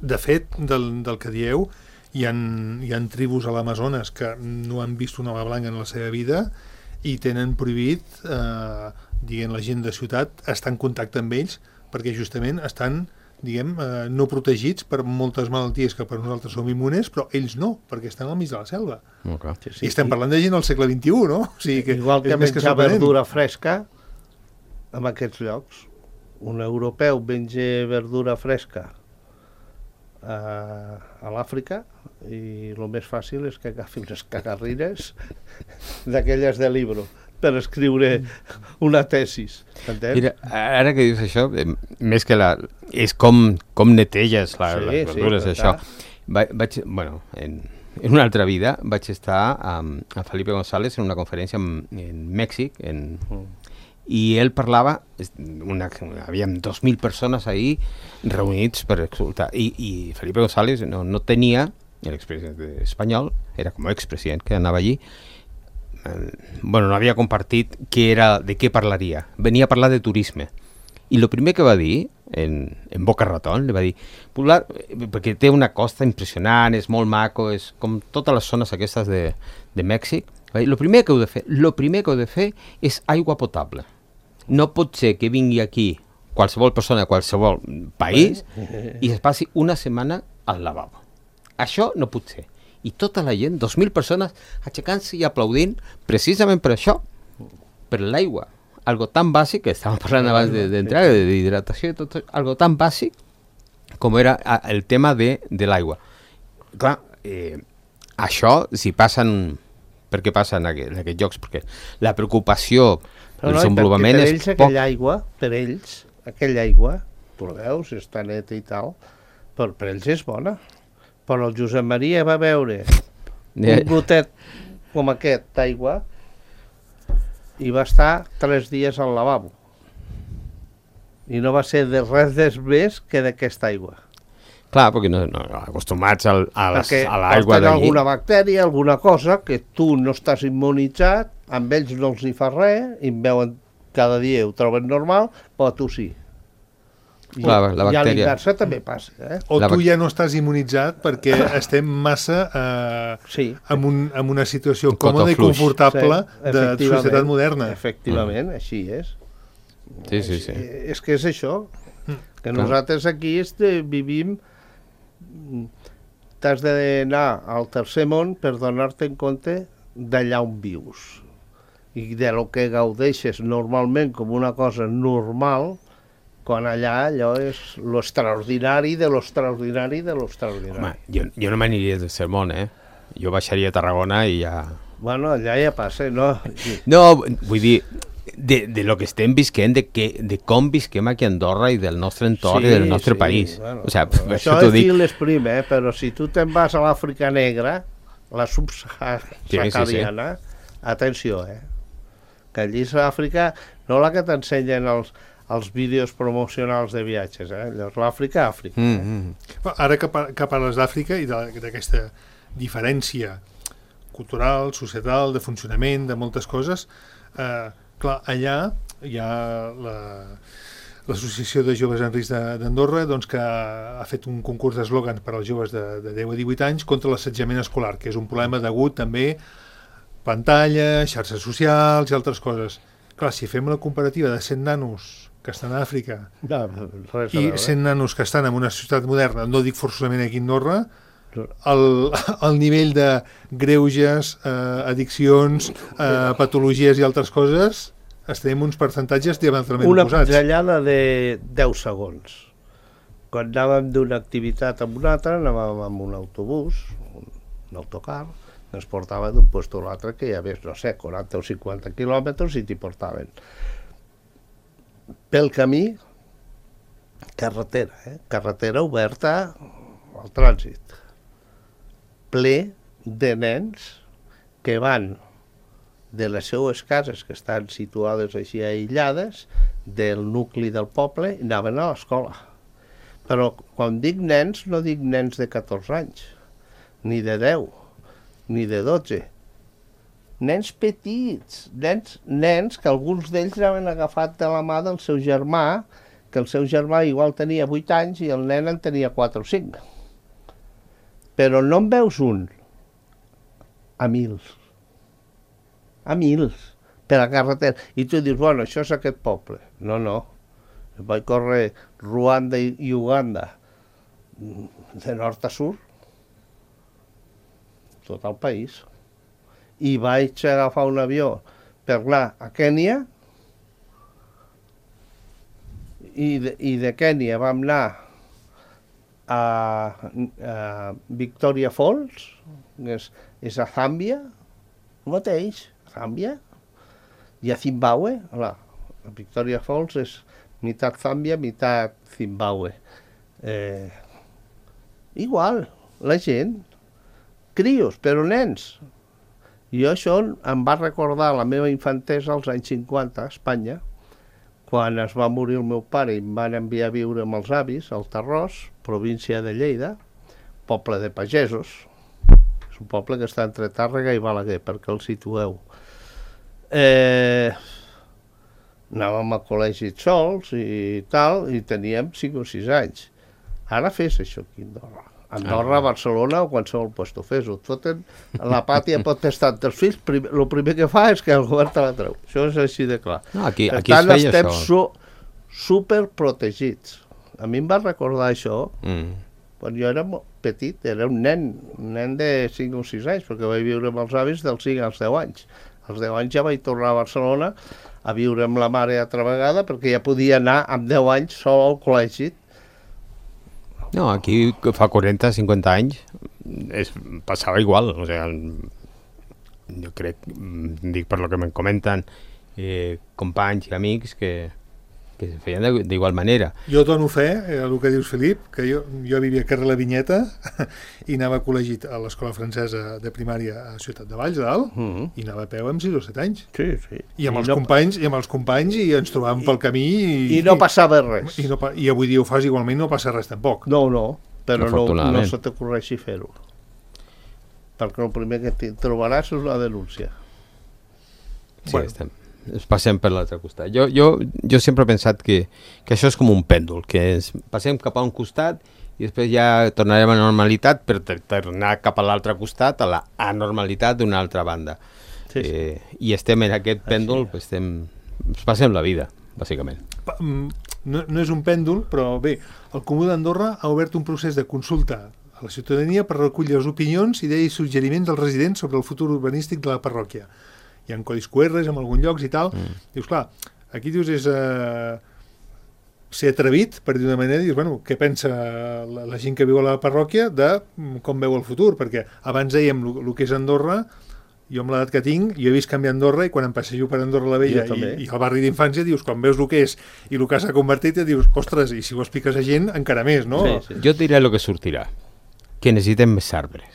De fet, del que dieu, hi ha tribus a l'Amazones que no han vist una ala blanca en la seva vida i tenen prohibit, diguem, la gent de ciutat estar en contacte amb ells perquè justament estan, diguem, no protegits per moltes malalties que per nosaltres som immunes, però ells no, perquè estan al mig de la selva. Okay. I estem parlant de gent del segle XXI, no? O sigui que igual que menjar verdura fresca en aquests llocs. Un europeu menja verdura fresca a l'Àfrica i el més fàcil és que agafi unes cagarrines d'aquelles de llibre per escriure una tesis. Mira, ara que dius això, més que és com neteges les verdures, això. En una altra vida vaig estar amb Felipe González en una conferència en Mèxic, i ell parlava, havíem 2.000 persones ahí reunits per escoltar, i Felipe González no tenia, l'expresident espanyol, era com expresident que anava allí, no havia compartit de què parlaria. Venia a parlar de turisme. I el primer que va dir, en Boca Ratón, li va dir, perquè té una costa impressionant, és molt maco, és com totes les zones aquestes de Mèxic, el primer que heu de fer és aigua potable. No pot ser que vingui aquí qualsevol persona de qualsevol país i es passi una setmana al lavabo. Això no pot ser. I tota la gent, 2.000 persones, aixecant-se i aplaudint precisament per això, per l'aigua. Algo tan bàsic, que estàvem parlant abans d'entrar, d'hidratació i tot, algo tan bàsic com era el tema de l'aigua. Clar, això, si passen... Per què passa en aquests llocs? Perquè la preocupació del desenvolupament és poc... Per ells, aquella aigua, tu la veus, està neta i tal, però per ells és bona. Però el Josep Maria va veure un gotet com aquest d'aigua i va estar 3 dies al lavabo. I no va ser de res més que d'aquesta aigua. Clar, perquè no acostumats a l'aigua d'allí. Alguna bactèria, alguna cosa que tu no estàs immunitzat, amb ells no els hi fa res, i em veuen cada dia, ho troben normal, però tu sí. Clar, la bactèria... I a l'inversa també passa. O tu ja no estàs immunitzat perquè estem massa en una situació còmoda i confortable de societat moderna. Efectivament, així és. Sí. És que és això, que nosaltres aquí vivim t'has d'anar al tercer món per donar-te en compte d'allà on vius. I de lo que gaudeixes normalment com una cosa normal, quan allà allò és l'extraordinari de l'extraordinari de l'extraordinari. Home, jo no m'aniria de sermón, Jo baixaria a Tarragona i ja... Bueno, allà ja passa, no? No, vull dir, de lo que estem visquent, de com visquem aquí a Andorra i del nostre entorn i del nostre país. Bueno, o sea, això és fil l'esprim, però si tu te'n vas a l'Àfrica negra, la subsahariana, atenció, que allí és l'Àfrica, no la que t'ensenyen els vídeos promocionals de viatges, allò és l'Àfrica. Ara que parles d'Àfrica i d'aquesta diferència cultural, societal, de funcionament, de moltes coses, clar, allà hi ha l'Associació de Joves en Risc d'Andorra, doncs, que ha fet un concurs d'eslògans per als joves de 10 a 18 anys contra l'assetjament escolar, que és un problema degut també pantalla, xarxes socials i altres coses. Clar, si fem la comparativa de 100 nanos que estan a Àfrica i 100 nanos que estan en una societat moderna, no dic forçosament aquí a Andorra, el nivell de greuges, addiccions, patologies i altres coses, estem uns percentatges diametralment oposats. Una pinzellada de 10 segons. Quan anàvem d'una activitat a una altra, anàvem amb un autobús, un autocar, ens portava d'un lloc a l'altre, que hi havia, no sé, 40 o 50 quilòmetres i t'hi portaven. Pel camí, carretera oberta al trànsit, ple de nens que van de les seues cases, que estan situades així aïllades, del nucli del poble, i anaven a l'escola. Però quan dic nens, no dic nens de 14 anys, ni de 10, ni de 12. Nens petits, nens que alguns d'ells anaven agafat de la mà del seu germà, que el seu germà igual tenia 8 anys i el nen en tenia 4 o 5. Però no en veus un, a mils, per la carretera. I tu dius, bueno, això és aquest poble. No, vaig córrer Ruanda i Uganda, de nord a sud, tot el país. I vaig agafar un avió per anar a Kènia, i de Kènia vam anar a Victoria Falls, és a Zàmbia, el mateix, Zàmbia, i a Zimbabue. A Victoria Falls és meitat Zàmbia, meitat Zimbabue. Igual, la gent, crios, però nens. I això em va recordar la meva infantesa als anys 50 a Espanya, quan es va morir el meu pare i em van enviar a viure amb els avis al Tarròs, província de Lleida, poble de pagesos. És un poble que està entre Tàrrega i Balaguer, perquè el situeu. Anàvem a col·legis sols i tal, i teníem 5 o 6 anys. Ara fes això aquí a Andorra. Andorra, Barcelona o qualsevol lloc fes-ho. La pàtia pot estar entre els fills, el primer que fa és que el govern te la treu. Això és així de clar. Per tant, estem superprotegits. A mi em va recordar això quan jo era petit, era un nen de 5 o 6 anys, perquè vaig viure amb els avis dels 5 als 10 anys. Als 10 anys ja vaig tornar a Barcelona a viure amb la mare altra vegada, perquè ja podia anar amb 10 anys sol al col·legi. No, aquí fa 40-50 anys passava igual, o sea, jo crec, dic per lo que me comenten companys i amics que se feien d'igual manera. Jo dono fe, el que dius, Felip, que jo vivia a carrer La Vinyeta i anava a col·legi a l'escola francesa de primària a Ciutat de Valls, dalt, i anava a peu amb 6 o 7 anys. Sí. I amb els companys i ens trobàvem pel camí i no passava res. I avui dia ho fas igualment, no passa res tampoc. No, però no se t'ocorreixi fer-ho. Perquè el primer que trobaràs és la denúncia. Sí, ens passem per l'altre costat. Jo sempre he pensat que això és com un pèndol, que passem cap a un costat i després ja tornarem a la normalitat per tornar cap a l'altre costat, a la anormalitat d'una altra banda. Sí. I estem en aquest pèndol, ens passem la vida, bàsicament. No és un pèndol, però bé, el Comú d'Andorra ha obert un procés de consulta a la ciutadania per recollir les opinions, idees i suggeriments dels residents sobre el futur urbanístic de la parròquia. Hi ha codis QRs en alguns llocs i tal. Dius, clar, aquí dius és ser atrevit, per dir d'una manera, dius, bueno, què pensa la gent que viu a la parròquia de com veu el futur, perquè abans dèiem el que és Andorra, jo amb l'edat que tinc, jo he vist canviar Andorra i quan em passejo per Andorra la Vella i el barri d'infància, dius, quan veus el que és i el que s'ha convertit, dius, ostres, i si ho expliques a gent, encara més, no? Sí. Jo et diré el que sortirà, que necessitem més arbres.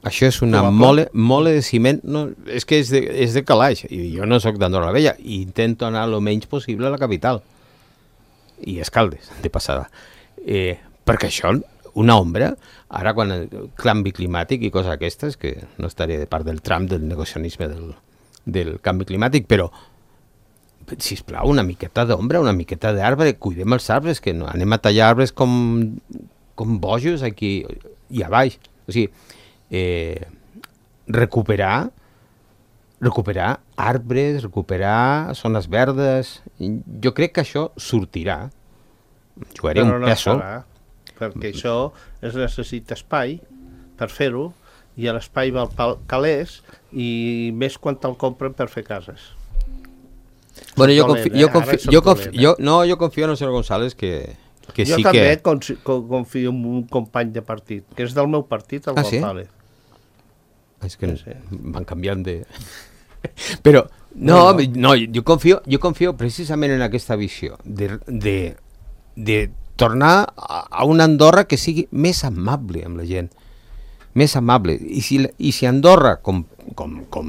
Això és una mole de ciment, no, és que és de calaix, i jo no sóc d'Andorra la Vella, i intento anar el menys possible a la capital, i Escaldes, de passada. Perquè això, una ombra, ara quan el canvi climàtic i coses aquestes, que no estaré de part del Trump, del negacionisme del canvi climàtic, però, sisplau, una miqueta d'ombra, una miqueta d'arbre, cuidem els arbres, que no anem a tallar arbres com bojos aquí i a baix. O sigui, recuperar arbres, recuperar zones verdes. Jo crec que això sortirà. Jugaré un pèsol. Perquè això es necessita espai per fer-ho, i l'espai val calés, i més quan te'l compren per fer cases. Bueno, jo confio en el senyor González que jo sí també que... confio en un company de partit, que és del meu partit, el González. És que van canviant de... Però, jo confio precisament en aquesta visió de tornar a una Andorra que sigui més amable amb la gent, més amable. I si Andorra, com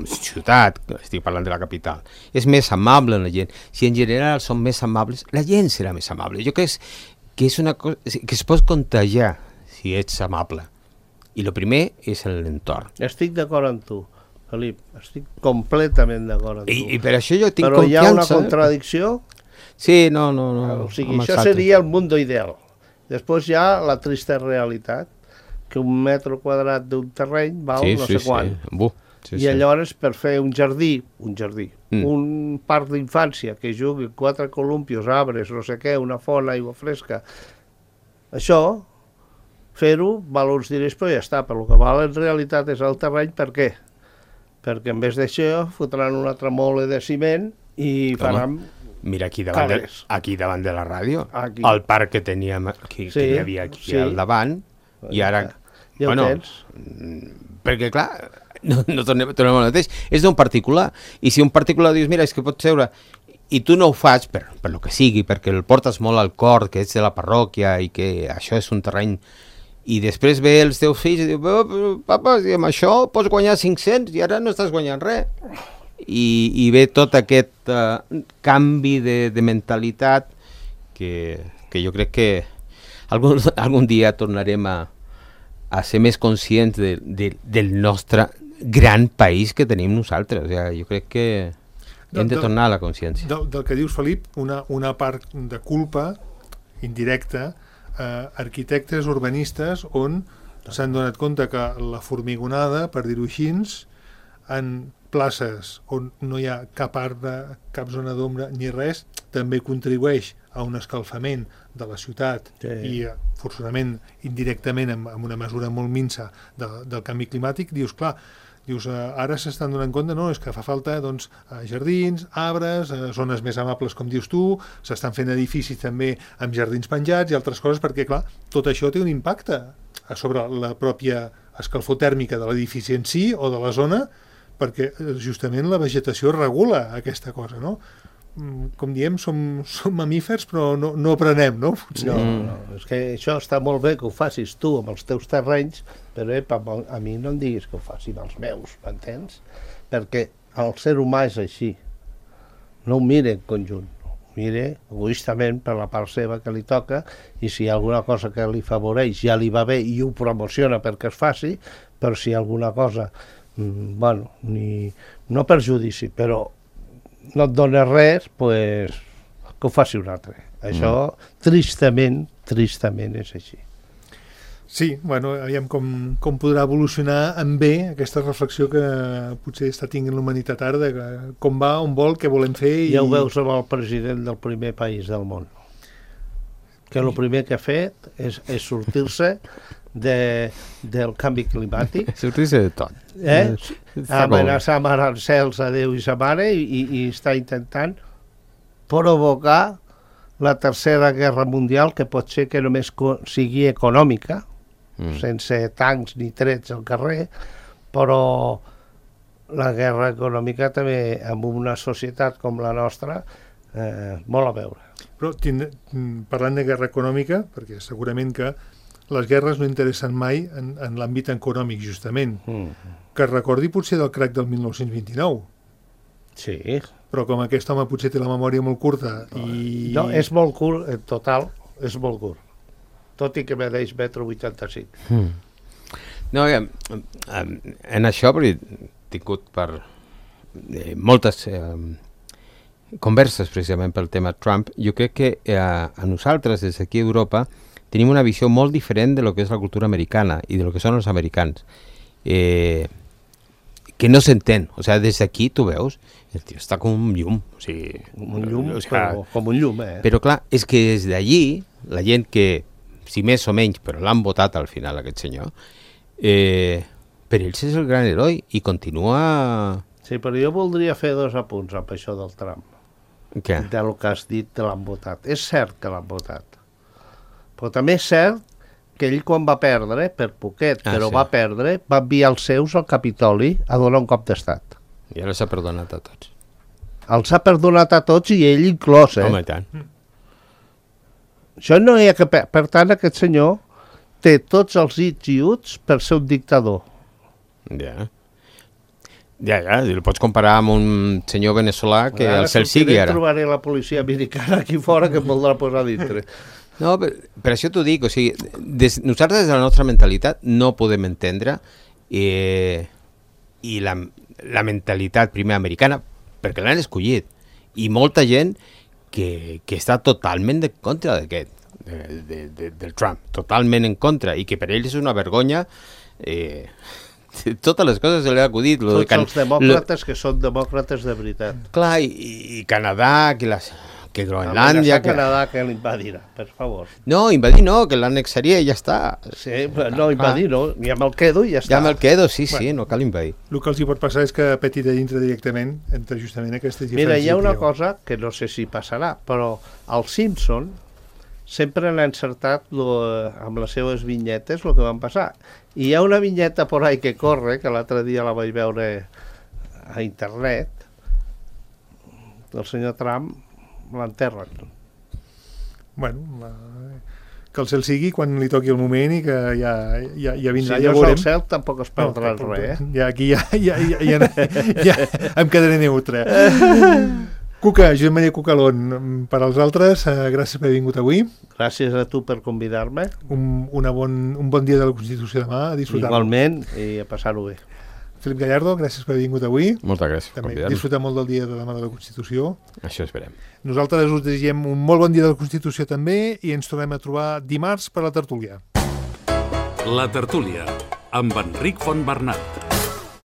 ciutat, estic parlant de la capital, és més amable amb la gent, si en general són més amables, la gent serà més amable. Jo crec que és una cosa que es pot contagiar si ets amable. I el primer és l'entorn. Estic d'acord amb tu, Felip, estic completament d'acord amb tu. I per això jo tinc confiança. Però hi ha una contradicció. Sí, no. O sigui, això seria el mundo ideal. Després hi ha la trista realitat, que un metre quadrat d'un terreny val no sé quant. I llavors per fer un jardí, un parc d'infància que jugui 4 columpios, arbres, no sé què, una font, aigua fresca, això, fer-ho val uns diners, però ja està. Però el que val en realitat és el terreny. Per què? Perquè en vez d'això fotran una altra mole de ciment i faran... Mira aquí davant de la ràdio, el parc que teníem que hi havia aquí al davant, i ara... Ja ho tens. Perquè, clar, no tornem al mateix. És d'un particular, i si un particular dius, mira, és que pots seure, i tu no ho fas per lo que sigui, perquè el portes molt al cor, que ets de la parròquia, i que això és un terreny... I després ve els teus fills i diu, papa, amb això pots guanyar 500 i ara no estàs guanyant res. I ve tot aquest canvi de mentalitat que jo crec que algun dia tornarem a ser més conscients del nostre gran país que tenim nosaltres. O sigui, jo crec que hem de tornar a la consciència. Del que dius, Felip, una part de culpa indirecta, arquitectes urbanistes on s'han donat compte que la formigonada, per dir-ho així, en places on no hi ha cap arbre, cap zona d'ombra ni res, també contribueix a un escalfament de la ciutat i forçosament indirectament amb una mesura molt minsa del canvi climàtic. Dius, clar, ara s'estan donant compte, no, és que fa falta jardins, arbres, zones més amables, com dius tu, s'estan fent edificis també amb jardins penjats i altres coses, perquè, clar, tot això té un impacte sobre la pròpia escalfor tèrmica de l'edifici en si o de la zona, perquè justament la vegetació regula aquesta cosa, no? Com diem, som mamífers, però no aprenem, no? No, és que això està molt bé que ho facis tu amb els teus terrenys, però a mi no em diguis que ho faci amb els meus, m'entens? Perquè el ser humà és així. No ho mira en conjunt, ho mira egoistament per la part seva que li toca, i si hi ha alguna cosa que li favoreix ja li va bé i ho promociona perquè es faci, però si hi ha alguna cosa, bueno, no perjudici, però no et dona res, pues, que ho faci un altre. Això, tristament és així. Sí, bueno, aviam com podrà evolucionar en bé aquesta reflexió que potser està tinguent la humanitat ara, de com va, on vol, què volem fer... Ja ho veus amb el president del primer país del món, que el primer que ha fet és sortir-se del canvi climàtic. Sortir-se de tot. Amenaçar amb arancels a Déu i sa mare i està intentant provocar la tercera guerra mundial, que pot ser que només sigui econòmica, sense tancs ni trets al carrer, però la guerra econòmica també, amb una societat com la nostra, molt a veure. Però parlant de guerra econòmica, perquè segurament que les guerres no interessen mai en l'àmbit econòmic, justament. Que es recordi potser del crac del 1929. Sí. Però com aquest home potser té la memòria molt curta i... No, és molt curt, en total, és molt curt. Tot i que medeix 1,85 m. No, en això, perquè he tingut per moltes converses precisament pel tema Trump, jo crec que a nosaltres, des d'aquí a Europa, tenim una visió molt diferent de lo que és la cultura americana i de lo que són els americans. Que no s'entén. O sigui, des d'aquí tu veus, el tio està com un llum. O sigui, com un llum, com un llum, Però clar, és que des d'allí, la gent que, si més o menys, però l'han votat al final, aquest senyor, per ells és el gran heroi i continua... Sí, però jo voldria fer 2 apunts amb això del Trump. Què? Del que has dit de l'han votat. És cert que l'han votat. Però també és cert que ell quan va perdre, per poquet, però sí, va perdre, va enviar els seus al Capitoli a donar un cop d'estat. I ara s'ha perdonat a tots. Els ha perdonat a tots i ell inclòs, Home, i tant. Això no hi ha que... Per tant, aquest senyor té tots els its i uts per ser un dictador. Ja, el pots comparar amb un senyor veneçolà que el cel sigui ara. Ara trobaré la policia americana aquí fora que em voldrà posar dintre. No, per això t'ho dic, o sigui, nosaltres des de la nostra mentalitat no podem entendre i la mentalitat primer americana, perquè l'han escollit, i molta gent que està totalment en contra d'aquest, del Trump, totalment en contra, i que per ells és una vergonya, totes les coses se li ha acudit. Tots els demòcrates que són demòcrates de veritat. Clar, i Canadà, que Groenlàndia... Canadà que l'invadirà, per favor. No, invadir no, que l'annexaria i ja està. Sí, no, invadir no, ja me'l quedo i ja està. Ja me'l quedo, sí, no cal invadir. El que els hi pot passar és que peti de dintre directament entre justament aquestes diferències. Mira, hi ha una cosa que no sé si passarà, però els Simpson sempre han encertat amb les seves vinyetes el que van passar. I hi ha una vinyeta por ahí que corre, que l'altre dia la vaig veure a internet, del senyor Trump, l'enterren. Bueno, que el cel sigui quan li toqui el moment i que ja vindrà. Si ja no és veurem. el cel tampoc es perdrà res, Ja aquí ja em quedaré neutre. Cuca, Josep Maria Cucalón, per als altres, gràcies per haver vingut avui. Gràcies a tu per convidar-me. Un bon dia de la Constitució demà, a disfrutar-lo. Igualment, i a passar-ho bé. Filip Gallardo, gràcies per haver vingut avui. Moltes gràcies per convidar-me. Disfrutar molt del dia de demà de la Constitució. Això esperem. Nosaltres us desitgem un molt bon dia de la Constitució també i ens tornem a trobar dimarts per la tertúlia. La tertúlia, amb Enric Fontbernat.